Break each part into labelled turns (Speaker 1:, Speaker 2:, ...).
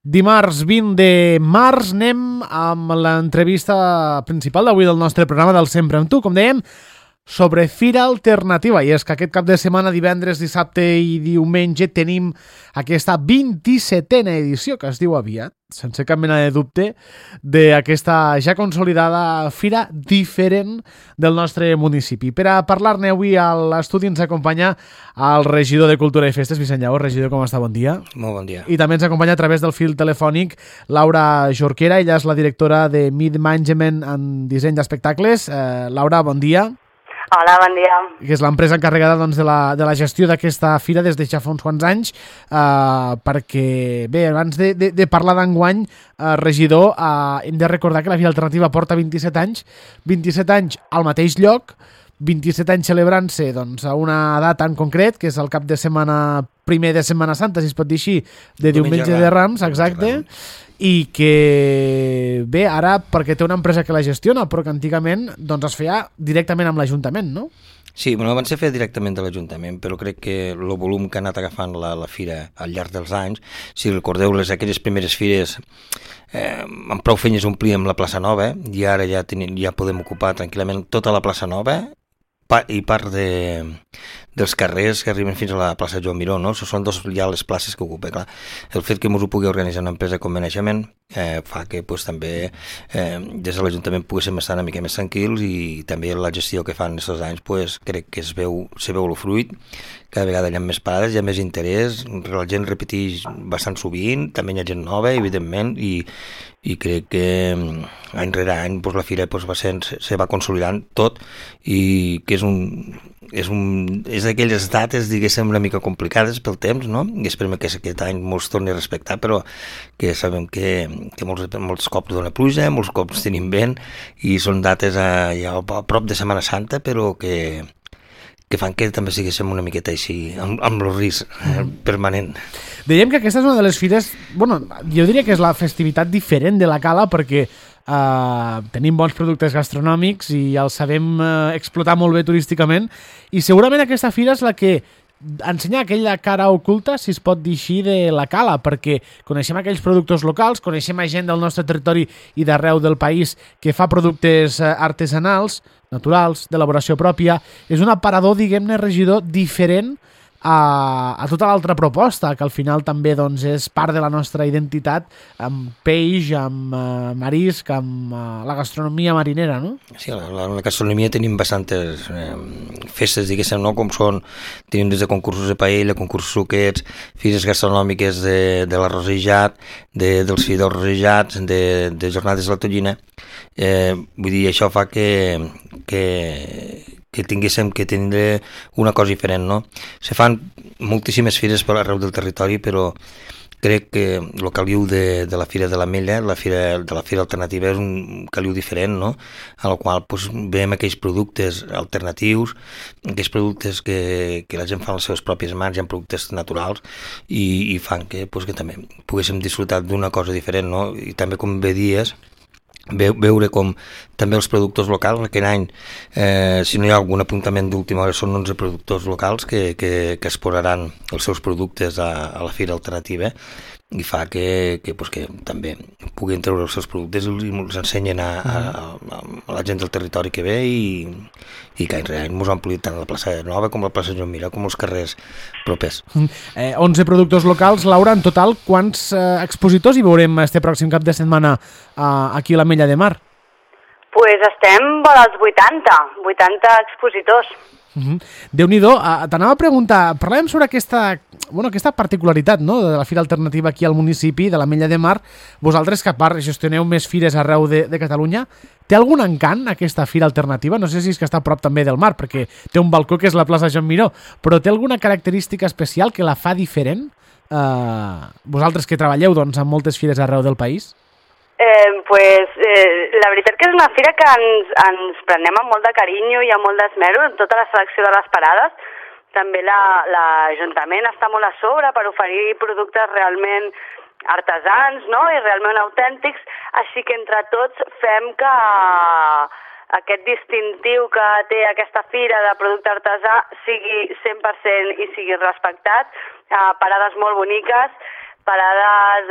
Speaker 1: Dimarts 20 de març anem amb l'entrevista principal d'avui del nostre programa del Sempre amb tu, com dèiem, sobre Fira Alternativa. I és que aquest cap de setmana, divendres, dissabte i diumenge, tenim aquesta 27a edició, que es diu aviat, sense cap mena de dubte, d'aquesta ja consolidada fira diferent del nostre municipi. Per a parlar-ne avui a l'estudi ens acompanya el regidor de Cultura i Festes, Vicent Lleó. Regidor, com està? Bon dia.
Speaker 2: Molt bon dia.
Speaker 1: I també ens acompanya a través del fil telefònic Laura Jorquera. Ella és la directora de Mid Management en disseny d'espectacles. Laura, bon dia.
Speaker 3: Hola, bon dia.
Speaker 1: Que és l'empresa encarregada doncs, de la gestió d'aquesta fira des de ja fa uns quants anys, perquè, bé, abans de parlar d'enguany, regidor, hem de recordar que la Fira Alternativa porta 27 anys, 27 anys al mateix lloc, 27 anys celebrant-se doncs, a una data en concret, que és el cap de setmana primer de Setmana Santa, si es pot dir així, de Diumenge de Rams, exacte, i que, bé, ara, perquè té una empresa que la gestiona, però que antigament doncs, es feia directament amb l'Ajuntament, no?
Speaker 2: Sí, bueno, abans se feia directament de l'Ajuntament, però crec que el volum que ha anat agafant la fira al llarg dels anys, si recordeu aquelles primeres fires, amb prou feines omplíem la plaça Nova, i ara ja podem ocupar tranquil·lament tota la plaça Nova i part dels carrers que arriben fins a la plaça Joan Miró, no? Són ja les places que ocupa. Clar, el fet que ens ho pugui organitzar una empresa com Management fa que també des de l'Ajuntament poguéssim estar una mica més tranquils, i també la gestió que fan aquests anys crec que se veu el fruit. Cada vegada hi ha més parades, hi ha més interès, la gent repeteix bastant sovint, també hi ha gent nova, evidentment, i crec que any rere any la fira se va consolidant tot, i que és d'aquelles dates, diguéssim, una mica complicades pel temps, no? I esperem que aquest any molts torni a respectar, però que sabem que molts cops dona pluja, molts cops tenim vent, i són dates ja a prop de Setmana Santa, però que fan que també siguéssim una miqueta així, amb el risc permanent.
Speaker 1: Dèiem que aquesta és una de les fires, bueno, jo diria que és la festivitat diferent de la Cala, perquè tenim bons productes gastronòmics i els sabem explotar molt bé turísticament, i segurament aquesta fira és la que ensenya aquella cara oculta, si es pot dir així, de la Cala, perquè coneixem aquells productes locals, coneixem a gent del nostre territori i d'arreu del país que fa productes artesanals, naturals, d'elaboració pròpia. És un aparador, diguem-ne, regidor, diferent a tota l'altra proposta, que al final també doncs, és part de la nostra identitat, amb peix, amb marisc, amb la gastronomia marinera, no?
Speaker 2: Sí, la gastronomia tenim bastantes festes, diguéssim, no? Com són, tenim des de concursos de paella, concursos suquets, fires gastronòmiques de l'arrosejat, dels fideus rosejats, de jornades de la tonyina. Vull dir, això fa que tinguéssim que tindre una cosa diferent, no? Se fan moltíssimes fires per arreu del territori, però crec que el caliu de la Fira de l'Ametlla, de la Fira Alternativa, és un caliu diferent, no? En el qual veiem aquells productes alternatius, aquells productes que la gent fa amb les seves pròpies mans, hi ha productes naturals, i fan que també poguéssim disfrutar d'una cosa diferent, no? I també, com bé dies, veure com també els productors locals, aquell any, si no hi ha algun apuntament d'última hora, són 11 productors locals que exposaran els seus productes a la Fira Alternativa, i fa que també puguin treure els seus productes i els ensenyen a la gent del territori que ve, i que any ens han ampliat tant la plaça Nova com la plaça Joan Miró com els carrers propers.
Speaker 1: 11 productors locals. Laura, en total, quants expositors hi veurem este pròxim cap de setmana aquí a l'Ametlla de Mar?
Speaker 3: Pues estem vora els 80 expositors.
Speaker 1: Déu-n'hi-do. T'anava a preguntar, parlàvem sobre aquesta particularitat, no?, de la Fira Alternativa aquí al municipi de l'Ametlla de Mar. Vosaltres, que a part gestioneu més fires arreu de Catalunya, té algun encant aquesta Fira Alternativa? No sé si és que està a prop també del mar, perquè té un balcó que és la plaça Joan Miró, però té alguna característica especial que la fa diferent? Vosaltres que treballeu doncs, en moltes fires arreu del país?
Speaker 3: La veritat que és una fira que ens prenem amb molt de carinyo i amb molt d'esmero en tota la selecció de les parades. També l'Ajuntament està molt a sobre per oferir productes realment artesans, no?, i realment autèntics, així que entre tots fem que aquest distintiu que té aquesta fira de producte artesà sigui 100% i sigui respectat, parades molt boniques, parades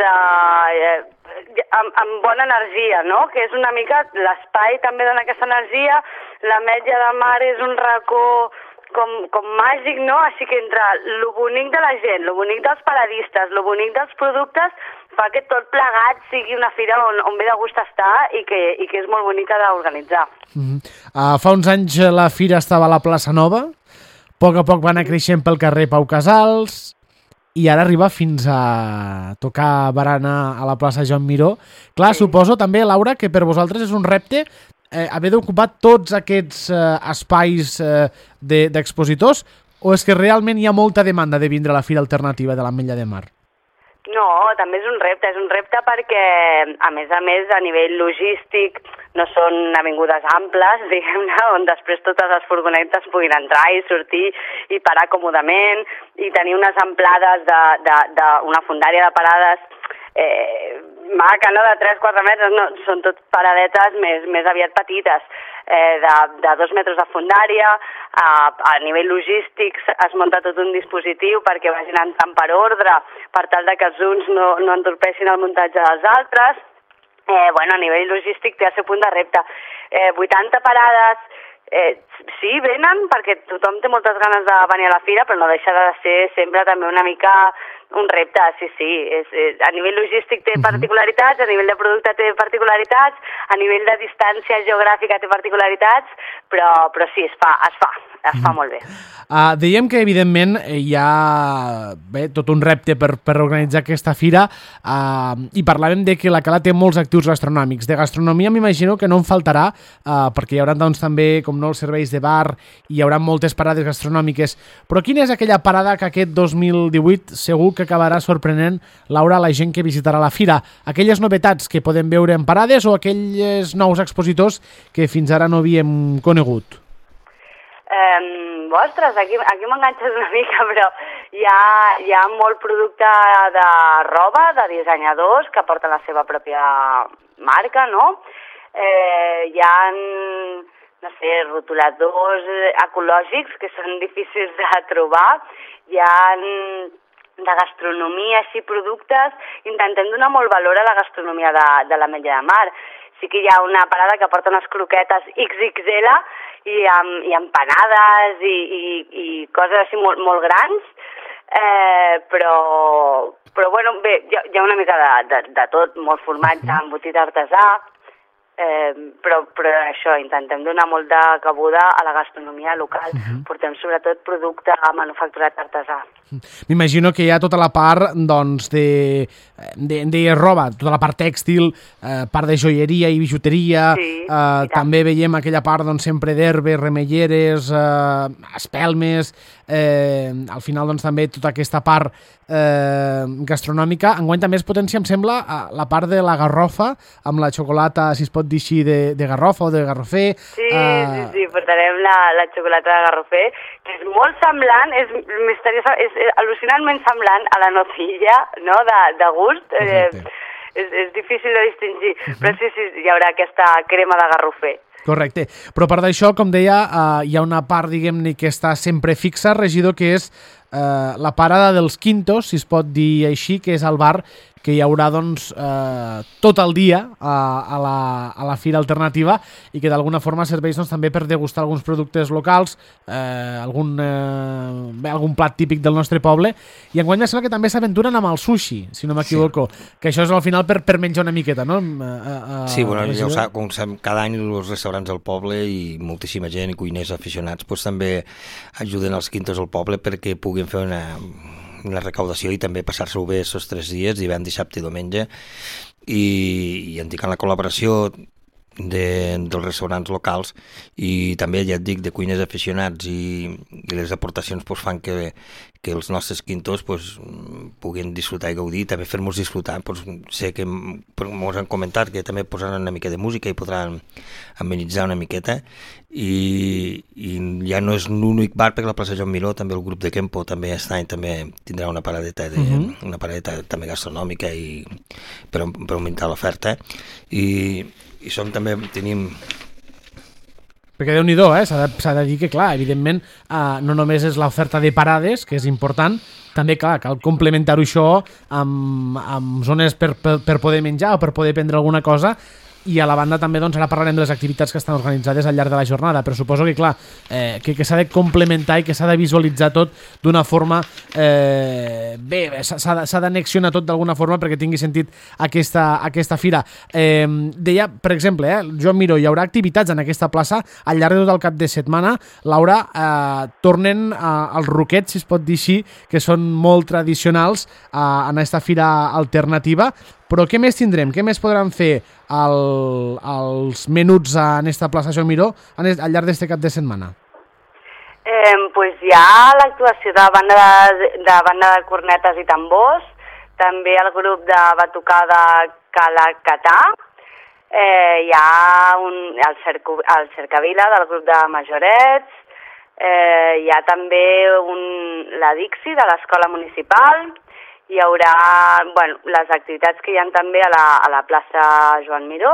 Speaker 3: amb bona energia, no? Que és una mica l'espai també dona aquesta energia, l'Ametlla de Mar és un racó com màgic, no? Així que entre lo bonic de la gent, lo bonic dels paradistes, lo bonic dels productes, fa que tot plegat sigui una fira on ve de gust estar i que és molt bonica d'organitzar.
Speaker 1: Fa uns anys la fira estava a la plaça Nova, a poc va anar creixent pel carrer Pau Casals i ara arriba fins a tocar barana a la plaça Joan Miró. Clar, suposo també, Laura, que per vosaltres és un repte haver d'ocupar tots aquests espais d'expositors, o és que realment hi ha molta demanda de vindre a la Fira Alternativa de l'Ametlla de Mar?
Speaker 3: No, també és un repte perquè, a més, a nivell logístic, no són avingudes amples, diguem-ne, on després totes les furgonetes puguin entrar i sortir i parar còmodament, i tenir unes amplades d'una fundària de parades maca, no?, de 3-4 metres, no, són tot paradetes més aviat petites, de 2 metres de fundària. A nivell logístic es munta tot un dispositiu perquè vagin entrant per ordre, per tal de que els uns no entorpeixin el muntatge dels altres. A nivell logístic té el seu punt de repte. 80 parades, sí, venen perquè tothom té moltes ganes de venir a la fira, però no deixa de ser sempre també una mica un repte, sí. A nivell logístic té particularitats, a nivell de producte té particularitats, a nivell de distància geogràfica té particularitats, però sí, es fa molt bé.
Speaker 1: Dèiem que, evidentment, hi ha tot un repte per organitzar aquesta fira i parlàvem de que la Cala té molts actius gastronòmics. De gastronomia m'imagino que no en faltarà, perquè hi haurà doncs, també, com no, els serveis de bar, hi haurà moltes parades gastronòmiques. Però quina és aquella parada que aquest 2018 segur que acabarà sorprenent, Laura, la gent que visitarà la fira? Aquelles novetats que podem veure en parades o aquells nous expositors que fins ara no havíem conegut?
Speaker 3: Ostres, aquí m'enganxes una mica, però hi ha molt producte de roba, de dissenyadors que porten la seva pròpia marca, no? Hi ha, no sé, rotuladors ecològics que són difícils de trobar, hi ha de gastronomia, així, productes. Intentem donar molt valor a la gastronomia de l'Ametlla de Mar. Sí que hi ha una parada que porta unes croquetes XXL i empanades i coses així molt grans, però bueno, bé, hi ha una mica de tot, molt formatge, embotit artesà, però això, intentem donar molt de cabuda a la gastronomia local. Portem sobretot producte manufacturat artesà.
Speaker 1: M'imagino que hi ha tota la part doncs, de roba, tota la part tèxtil, part de joieria i bijuteria, també veiem aquella part doncs, sempre d'herbes, remelleres, espelmes, al final doncs, també tota aquesta part gastronòmica. Enguany també es potencia, em sembla, la part de la garrofa, amb la xocolata, si es pot dir així, de garrofa o de garrofer.
Speaker 3: Sí, portarem la xocolata de garrofer, que és molt semblant, és misteriosa, és al·lucinantment semblant a la nocilla, no?, de gust. És difícil de distingir, però sí, hi haurà aquesta crema de garrofer.
Speaker 1: Correcte, però a part d'això, com deia, hi ha una part, diguem-ne, que està sempre fixa, regidor, que és la parada dels Quintos, si es pot dir així, que és el bar que hi haurà doncs, tot el dia a la Fira Alternativa i que d'alguna forma serveix doncs, també per degustar alguns productes locals, algun plat típic del nostre poble, i enguany em sembla que també s'aventuren amb el sushi, si no m'equivoco, que això és al final per menjar una miqueta, no?
Speaker 2: Sí, bueno, ja ho sap, com cada any els restaurants del poble i moltíssima gent i cuiners aficionats doncs, també ajuden els Quintos al poble perquè puguin fer una recaudació i també passar-se-ho bé aquests 3 dies, divendres, dissabte i diumenge, i indicant la col·laboració dels restaurants locals i també, ja et dic, de cuiners aficionats i les aportacions pues, fan que els nostres Quintos pues, puguin disfrutar i gaudir, també fer-nos disfrutar. Pues, sé que ens han comentat que també posaran una mica de música i podran amenitzar una miqueta i ja no és l'únic bar perquè la plaça Joan Miró, també el grup de Kempo també aquest any també tindrà una paradeta una paradeta també gastronòmica per augmentar l'oferta i també tenim...
Speaker 1: Perquè Déu-n'hi-do, s'ha de dir que, clar, evidentment, no només és l'oferta de parades, que és important, també, clar, cal complementar-ho això amb zones per poder menjar o per poder prendre alguna cosa, i a la banda també, doncs, ara parlarem de les activitats que estan organitzades al llarg de la jornada, però suposo que, clar, que s'ha de complementar i que s'ha de visualitzar tot d'una forma bé, s'ha d'anexionar tot d'alguna forma perquè tingui sentit aquesta fira. Deia, per exemple, Joan Miró, hi haurà activitats en aquesta plaça al llarg de tot el cap de setmana. Laura, tornen als roquets, si es pot dir així, que són molt tradicionals en aquesta fira alternativa. Però què més tindrem? Què més podran fer els menuts en esta plaça Joan Miró al llarg d'aquest cap de setmana?
Speaker 3: Pues hi ha l'actuació de banda de cornetes i tambors, també el grup de batucada Calacatà, hi ha el Cercavila del grup de majorets, hi ha també la Dixi de l'escola municipal, hi haurà les activitats que hi ha també a la plaça Joan Miró,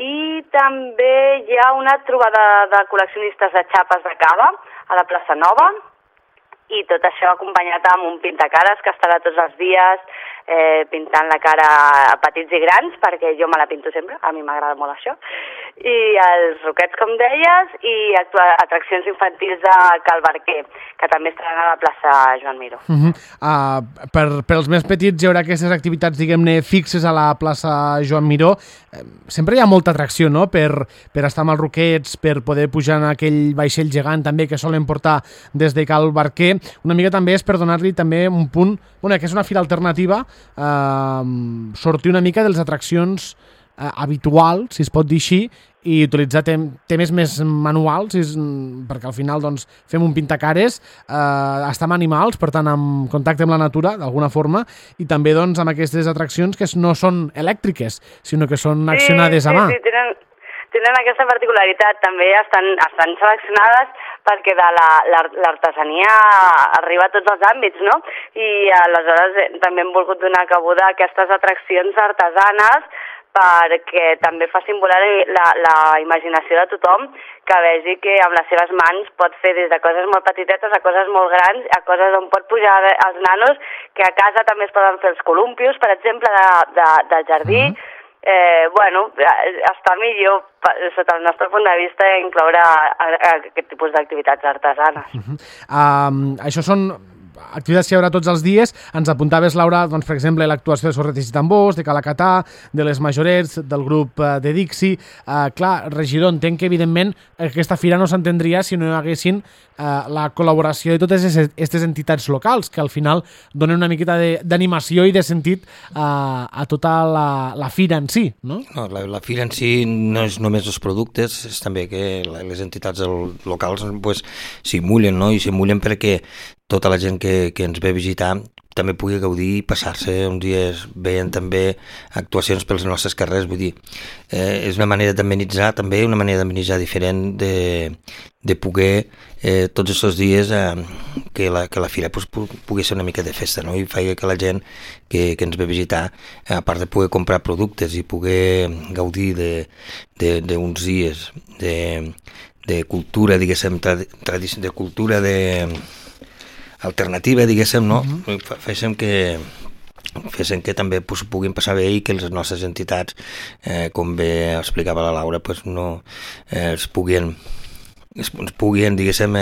Speaker 3: i també hi ha una trobada de col·leccionistes de xapes de cava a la plaça Nova, i tot això acompanyat amb un pintacares que estarà tots els dies pintant la cara a petits i grans, perquè jo me la pinto sempre, a mi m'agrada molt això, i els roquets, com deies, i atraccions infantils de Cal Barquer, que també estaran a la plaça Joan Miró.
Speaker 1: Per als més petits hi haurà aquestes activitats, diguem-ne, fixes a la plaça Joan Miró. Sempre hi ha molta atracció, no?, per estar amb els roquets, per poder pujar en aquell vaixell gegant també que solen portar des de Cal Barquer. Una mica també és per donar-li també un punt, que és una fira alternativa, sortir una mica de les atraccions habituals, si es pot dir així, i utilitzar temes més manuals, perquè al final doncs, fem un pintacares, estem animals, per tant, en contacte amb la natura, d'alguna forma, i també doncs, amb aquestes atraccions que no són elèctriques, sinó que són accionades a mà.
Speaker 3: Sí, tenen aquesta particularitat, també estan seleccionades perquè l'artesania arriba a tots els àmbits, no? I aleshores també hem volgut donar cabuda a aquestes atraccions artesanes perquè també facin volar la imaginació de tothom, que vegi que amb les seves mans pot fer des de coses molt petitetes a coses molt grans, a coses on pot pujar els nanos, que a casa també es poden fer els columpios, per exemple, del jardí. Està millor, sota el nostre punt de vista, incloure aquest tipus d'activitats artesanes.
Speaker 1: Això són activitats que hi haurà tots els dies. Ens apuntaves, Laura, doncs, per exemple, l'actuació de Sorretes i Tambors, de Calacatà, de les majorets, del grup de Dixi. Clar, regidor, entenc que, evidentment, aquesta fira no s'entendria si no hi haguessin la col·laboració de totes aquestes entitats locals, que al final donen una miqueta d'animació i de sentit a tota la fira en si, no?
Speaker 2: No, la fira en si no és només els productes, és també que les entitats locals s'hi mullen, no? I s'hi mullen perquè tota la gent que ens ve a visitar també pugui gaudir i passar-se uns dies veient també actuacions pels nostres carrers, vull dir, és una manera d'amenitzar també, una manera d'amenitzar diferent de poder tots aquests dies que la fira pugui ser una mica de festa, no? I faci que la gent que ens ve a visitar, a part de poder comprar productes i poder gaudir d'uns dies de cultura, diguéssim, de cultura alternativa, diguéssim, no? Féssim que també puguin passar bé i que les nostres entitats, com bé explicava la Laura, ens puguin, diguéssim,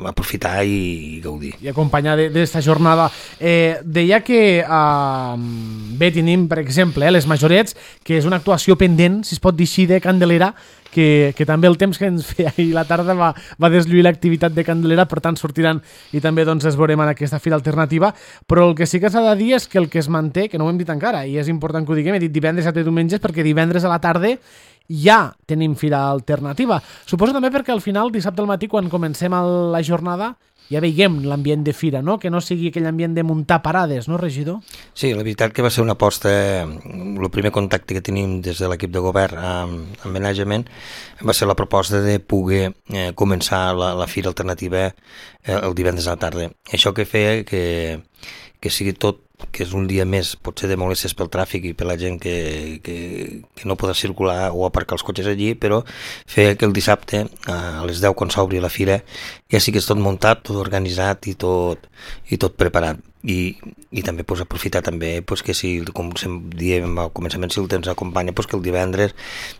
Speaker 2: aprofitar i gaudir.
Speaker 1: I acompanyar d'esta jornada. Deia que bé, tenim, per exemple, les majorets, que és una actuació pendent, si es pot dir així, de Candelera, que també el temps que ens feia ahir la tarda va deslluir l'activitat de Candelera, per tant sortiran i també doncs es veurem en aquesta fira alternativa, però el que sí que s'ha de dir és que el que es manté, que no ho hem dit encara, i és important que ho diguem, he dit divendres, dissabte i diumenges, perquè divendres a la tarda ja tenim fira alternativa. Suposo també perquè al final, dissabte al matí, quan comencem la jornada, ja veiem l'ambient de fira, no? Que no sigui aquell ambient de muntar parades, no, regidor?
Speaker 2: Sí, la veritat que va ser una aposta, el primer contacte que tenim des de l'equip de govern amb Management va ser la proposta de poder començar la fira alternativa el divendres a la tarda. Això que feia que sigui tot que és un dia més, potser de molestes pel tràfic i per la gent que no podrà circular o aparcar els cotxes allí, però fer que el dissabte a les 10 quan s'obri la fira ja sí que és tot muntat, tot organitzat i tot preparat. I també aprofitar també que si, com diem al començament, si el temps acompanya, que el divendres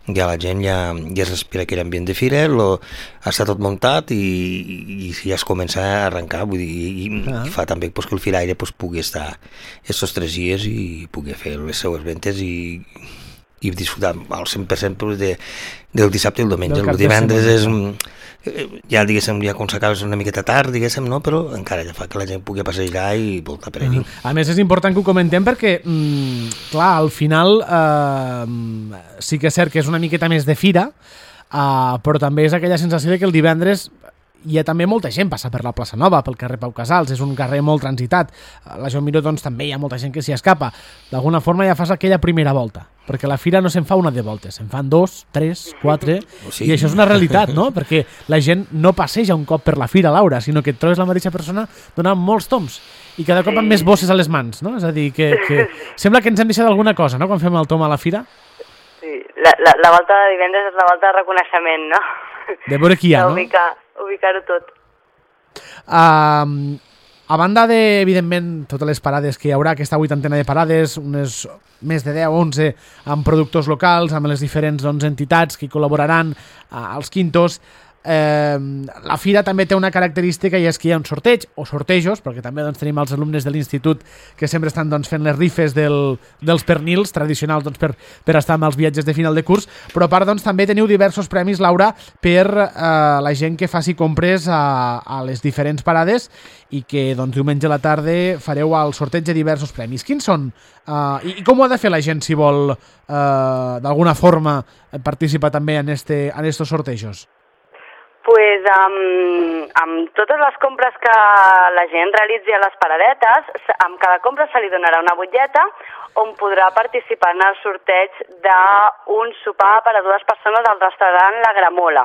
Speaker 2: ja la gent ja es respira aquell ambient de fira, està tot muntat i ja es comença a arrencar, vull dir, i fa també que el firaire pugui estar aquests 3 dies i pugui fer les seues ventes i disfrutar al 100% del dissabte i el diumenge. El divendres és ja, diguéssim, ja quan s'acaba és una miqueta tard, diguéssim, no? Però encara ja fa que la gent pugui passejar i voltar per allí.
Speaker 1: A més, és important que ho comentem perquè, clar, al final sí que és cert que és una miqueta més de fira, però també és aquella sensació de que el divendres hi ha també molta gent passa per la plaça Nova, pel carrer Pau Casals, és un carrer molt transitat. A la Joan Miró, doncs, també hi ha molta gent que s'hi escapa. D'alguna forma ja fas aquella primera volta, perquè la fira no se'n fa una de voltes, se'n fan 2, 3, 4, i això és una realitat, no? Perquè la gent no passeja un cop per la fira, Laura, sinó que et trobes la mateixa persona donant molts toms, i cada cop amb més bosses a les mans, no? És a dir, que sembla que ens hem deixat alguna cosa, no?, quan fem el tom a la fira.
Speaker 3: Sí, la volta de divendres és la volta de reconeixement, no?
Speaker 1: De veure qui hi ha, no?
Speaker 3: Ubicar-ho tot.
Speaker 1: A banda de, evidentment, totes les parades que hi haurà, aquesta 80ena de parades, unes més de 10 o 11 amb productors locals, amb les diferents entitats que hi col·laboraran als quintos, la fira també té una característica i és que hi ha un sorteig o sortejos, perquè també tenim els alumnes de l'institut que sempre estan fent les rifes dels pernils tradicionals per estar amb els viatges de final de curs, però a part també teniu diversos premis, Laura, per la gent que faci compres a les diferents parades i que diumenge a la tarda fareu el sorteig de diversos premis. Quins són? I com ho ha de fer la gent si vol d'alguna forma participar també en estos sortejos?
Speaker 3: Pues amb totes les compres que la gent realitzi a les paradetes, amb cada compra se li donarà una butlleta on podrà participar en el sorteig d'un sopar per a 2 persones al restaurant La Gramola.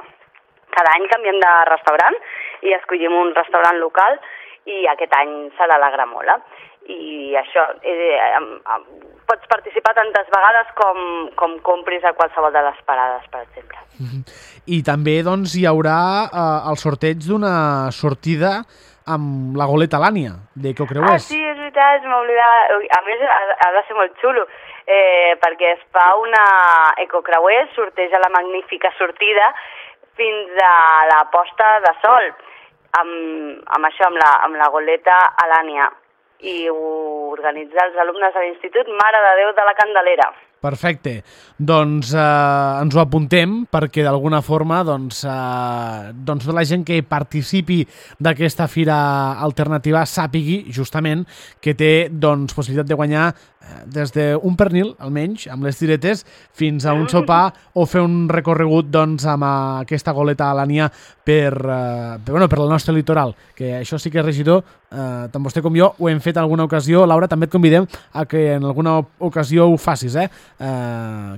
Speaker 3: Cada any canviem de restaurant i escollim un restaurant local i aquest any serà La Gramola. I això, pots participar tantes vegades com compris a qualsevol de les parades, per exemple.
Speaker 1: I també hi haurà el sorteig d'una sortida amb la goleta Lània, de Ecocreuers.
Speaker 3: Sí, és veritat, m'oblidava. A més, ha de ser molt xulo, perquè es fa una Ecocreuers, sorteja la magnífica sortida fins a la posta de sol, amb això, amb la goleta Alània. I ho organitza els alumnes de l'Institut Mare de Déu de la Candelera.
Speaker 1: Perfecte. Doncs ens ho apuntem perquè d'alguna forma tota la gent que participi d'aquesta fira alternativa sàpigui justament que té possibilitat de guanyar des d'un pernil, almenys, amb les tiretes, fins a un sopar o fer un recorregut amb aquesta goleta Alània per el nostre litoral, que això sí que, regidor, tant vostè com jo ho hem fet en alguna ocasió. Laura, també et convidem a que en alguna ocasió ho facis,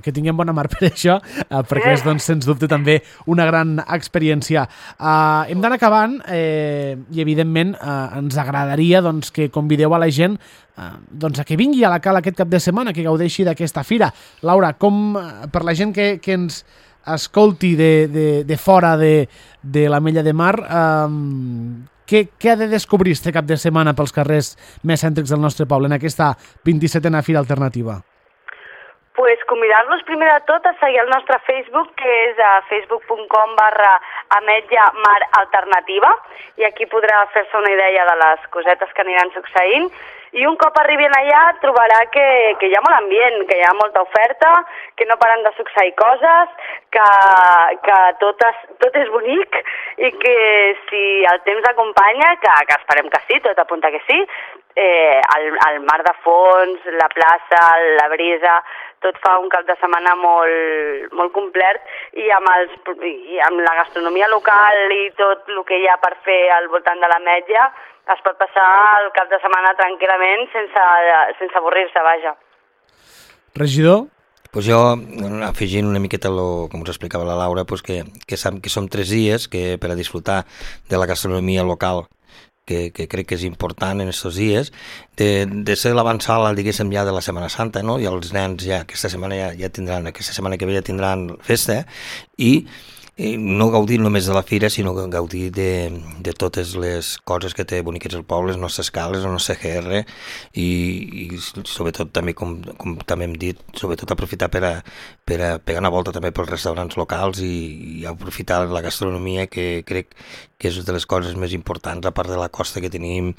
Speaker 1: que tinguem bona mar per això, perquè és, sens dubte, també una gran experiència. Hem d'anar acabant i, evidentment, ens agradaria que convideu a la gent a que vingui a la Cala aquest cap de setmana, que gaudeixi d'aquesta fira. Laura, per la gent que ens escolti de fora de l'Ametlla de Mar, què ha de descobrir este cap de setmana pels carrers més cèntrics del nostre poble en aquesta 27a Fira Alternativa?
Speaker 3: Pues convidar-los primer de tot a seguir el nostre Facebook, que és a facebook.com/Ametlla Mar Alternativa, i aquí podrà fer-se una idea de les cosetes que aniran succeint. I un cop arribin allà trobarà que hi ha molt ambient, que hi ha molta oferta, que no paren de succeir coses, que tot és bonic i que si el temps acompanya, que esperem que sí, tot apunta que sí, el mar de fons, la plaça, la brisa, tot fa un cap de setmana molt, molt complet i amb la gastronomia local i tot el que hi ha per fer al voltant de l'Ametlla es pot passar el cap de setmana tranquil·lament sense avorrir-se, vaja.
Speaker 1: Regidor?
Speaker 2: Pues jo, afegint una miqueta com us explicava la Laura, que som 3 dies que per a disfrutar de la gastronomia local que crec que és important en aquests dies, de ser l'avançada, diguéssim, ja de la Setmana Santa, no? I els nens ja aquesta setmana aquesta setmana que ve ja tindran festa, i no gaudir només de la fira, sinó gaudir de totes les coses que té boniques el poble, les nostres cales, el nostre GR, i sobretot també, com també hem dit, sobretot aprofitar per a pegar una volta també pels restaurants locals i aprofitar la gastronomia, que crec que és de les coses més importants, a part de la costa que tenim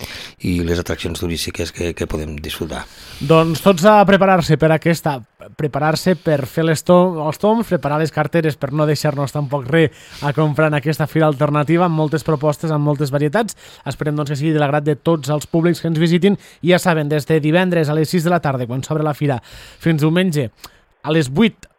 Speaker 2: i les atraccions turístiques que podem disfrutar.
Speaker 1: Doncs tots a preparar-se per fer els toms, preparar les carteres per no deixar-nos tampoc res a comprar en aquesta fira alternativa, amb moltes propostes, amb moltes varietats. Esperem doncs que sigui de l'agrat de tots els públics que ens visitin, i ja saben, des de divendres a les 6 de la tarda, quan s'obre la fira, fins diumenge a les 8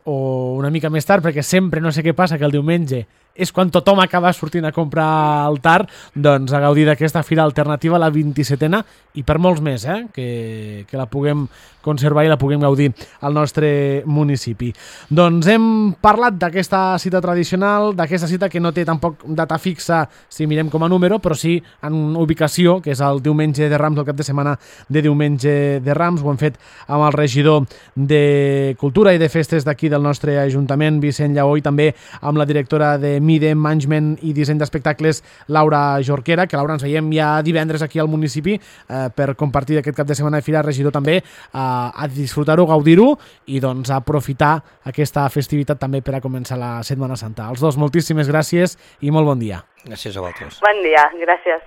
Speaker 1: o una mica més tard, perquè sempre no sé què passa, que el diumenge és quan tothom acaba sortint a comprar al tard, doncs a gaudir d'aquesta fira alternativa, la 27a, i per molts més, que la puguem conservar i la puguem gaudir al nostre municipi. Doncs hem parlat d'aquesta cita tradicional, d'aquesta cita que no té tampoc data fixa si mirem com a número, però sí en ubicació, que és el diumenge de Rams, el cap de setmana de diumenge de Rams. Ho hem fet amb el regidor de Cultura i de Festes d'aquí del nostre Ajuntament, Vicent Lleó, i també amb la directora de MIDE, Management i Disseny d'Espectacles, Laura Jorquera, que Laura ens veiem ja divendres aquí al municipi per compartir aquest cap de setmana de fira. Regidor, també a disfrutar-ho, gaudir-ho i doncs aprofitar aquesta festivitat també per a començar la Setmana Santa. Els dos, moltíssimes gràcies i molt bon dia.
Speaker 2: Gràcies a vosaltres.
Speaker 3: Bon dia, gràcies.